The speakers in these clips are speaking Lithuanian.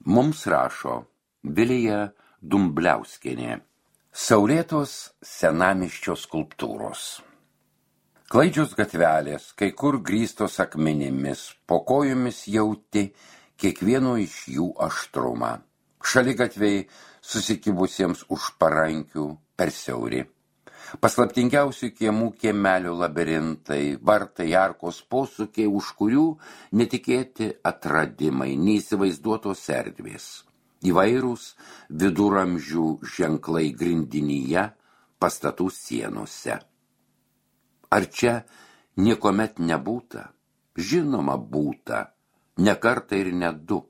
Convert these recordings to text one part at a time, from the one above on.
Mums rašo Vilija Dumbliauskienė. Saulėtos senamiesčio skulptūros. Klaidžios gatvelės, kai kur grįstos akmenimis, po kojomis jauti kiekvieno iš jų aštrumą. Šaligatviai susikibusiems už parankių per siauri. Paslaptingiausių kiemų kiemelių labirintai, vartai, arkos posūkiai, už kurių netikėti atradimai, neįsivaizduotos erdvės. Įvairūs viduramžių ženklai grindinyje, pastatų sienose. Ar čia niekuomet nebūta? Žinoma, būta. Ne kartą ir ne du.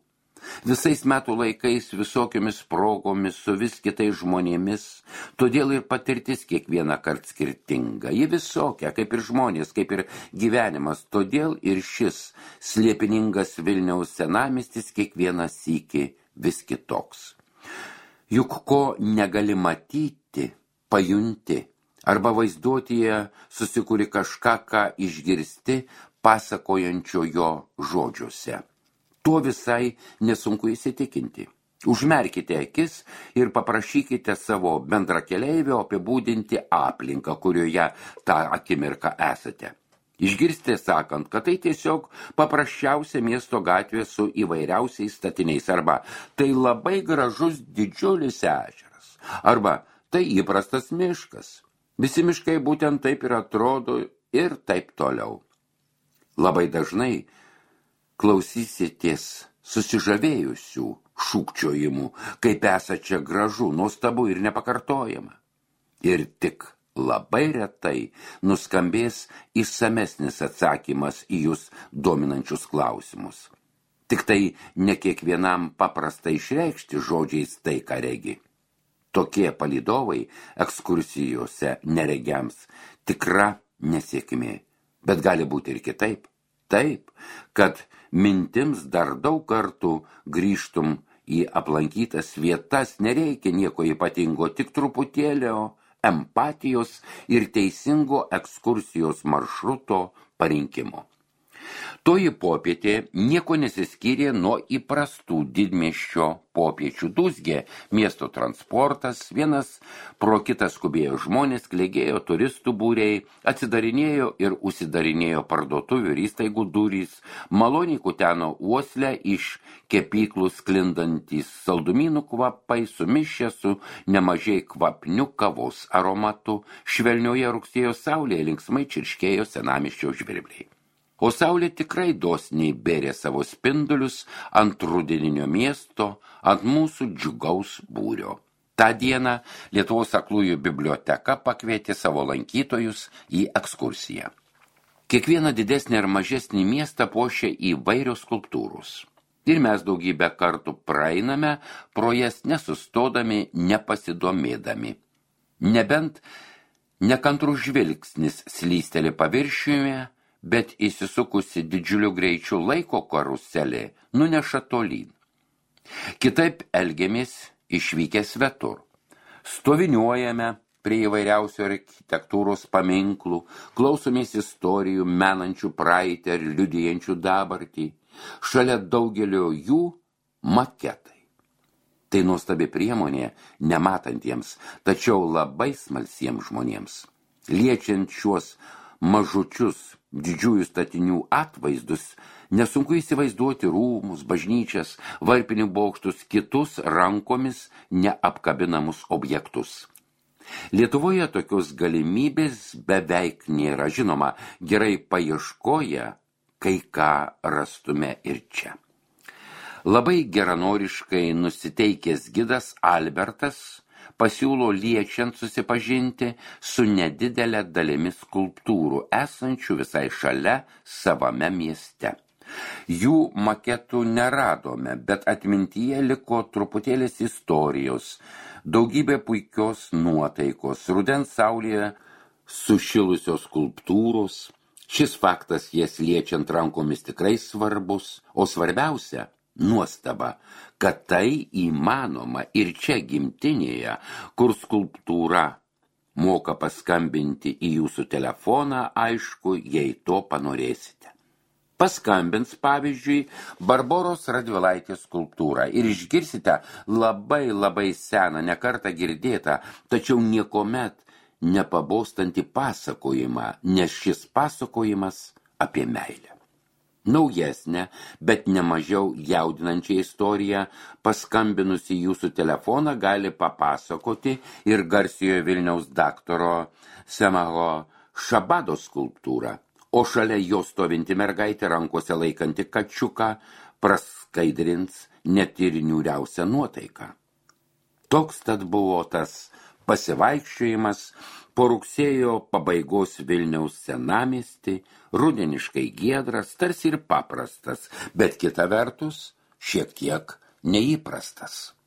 Visais metų laikais, visokiomis progomis, su vis kitais žmonėmis, todėl ir patirtis kiekvieną kartą skirtinga. Ji visokia, kaip ir žmonės, kaip ir gyvenimas, todėl ir šis slėpiningas Vilniaus senamiestis kiekvieną sykį vis kitoks. Juk ko negali matyti, pajunti, arba vaizduotyje susikuri kažką, ką išgirsti, pasakojančio jo žodžiuose. Tuo visai nesunku įsitikinti. Užmerkite akis ir paprašykite savo bendrakeleivio apibūdinti aplinką, kurioje tą akimirką esate. Išgirstė sakant, kad tai tiesiog paprasčiausia miesto gatvė su įvairiausiais statiniais, arba tai labai gražus didžiulis ežeras, arba tai įprastas miškas. Visi miškai būtent taip ir atrodo ir taip toliau. Labai dažnai klausysitės susižavėjusių šūkčiojimų, kaip esą čia gražu, nuostabu ir nepakartojama. Ir tik labai retai nuskambės išsamesnis atsakymas į jūs dominančius klausimus. Tik tai ne kiekvienam paprasta išreikšti žodžiais tai, ką regi. Tokie palydovai ekskursijose neregiams tikra nesėkmė, bet gali būti ir kitaip. Taip, kad mintims dar daug kartų grįžtum į aplankytas vietas, nereikia nieko ypatingo, tik truputėlio empatijos ir teisingo ekskursijos maršruto parinkimo. Toji popietė nieko nesiskyrė nuo įprastų didmiesčio popiečių. Dūzgė miesto transportas, vienas pro kitą skubėjo žmonės, klegėjo turistų būriai, atsidarinėjo ir užsidarinėjo parduotuvių ir įstaigų durys, maloniai kuteno uoslę iš kepyklų sklindantys saldumynų kvapai, sumišę su nemažai kvapnių kavos aromatu, švelnioje rugsėjo saulėje linksmai čirškėjo senamiesčio žvirbliai. O saulė tikrai dosniai bėrė savo spindulius ant rudeninio miesto, ant mūsų džiugaus būrio. Ta diena Lietuvos aklųjų biblioteka pakvietė savo lankytojus į ekskursiją. Kiekvieną didesnį ir mažesnį miestą puošia įvairios skulptūros. Ir mes daugybę kartų praeiname pro jas nesustodami, nepasidomėdami. Nebent nekantrus žvilgsnis slysteli paviršiuje, bet įsisukusi didžiuliu greičiu laiko karuselė nuneša tolyn. Kitaip elgiamės išvykę svetur. Stoviniuojame prie įvairiausių architektūros paminklų, klausomės istorijų, menančių praeitį ir liudijančių dabartį. Šalia daugelio jų maketai. Tai nuostabi priemonė nematantiems, tačiau labai smalsiems žmonėms. Liečiant šiuos mažučius didžiųjų statinių atvaizdus, nesunku įsivaizduoti rūmus, bažnyčias, varpinių bokštus, kitus rankomis neapkabinamus objektus. Lietuvoje tokios galimybės beveik nėra. Žinoma, gerai paieškoję, kai ką rastume ir čia. Labai geranoriškai nusiteikęs gidas Albertas pasiūlo liečiant susipažinti su nedidelė dalimi skulptūrų, esančių visai šalia savame mieste. Jų maketų neradome, bet atmintyje liko truputėlis istorijos, daugybė puikios nuotaikos, rudens saulėje sušilusios skulptūros. Šis faktas jas liečiant rankomis tikrai svarbus, o svarbiausia – nuostaba, kad tai įmanoma ir čia gimtinėje, kur skulptūra moka paskambinti į jūsų telefoną, aišku, jei to panorėsite. Paskambins, pavyzdžiui, Barboros Radvilaitės skulptūrą ir išgirsite labai seną, nekartą girdėtą, tačiau niekomet nepabostantį pasakojimą, nes šis pasakojimas apie meilę. Naujesnę, bet nemažiau jaudinančią istoriją paskambinusi jūsų telefoną gali papasakoti ir garsiojo Vilniaus daktaro Semaho Šabado skulptūrą, o šalia jo stovinti mergaitė rankose laikanti kačiuką praskaidrins net ir niūriausią nuotaiką. Toks tad buvo tas pasivaikščiojimas po rugsėjo pabaigos Vilniaus senamiestį, rudeniškai giedras, tarsi ir paprastas, bet kita vertus šiek tiek neįprastas.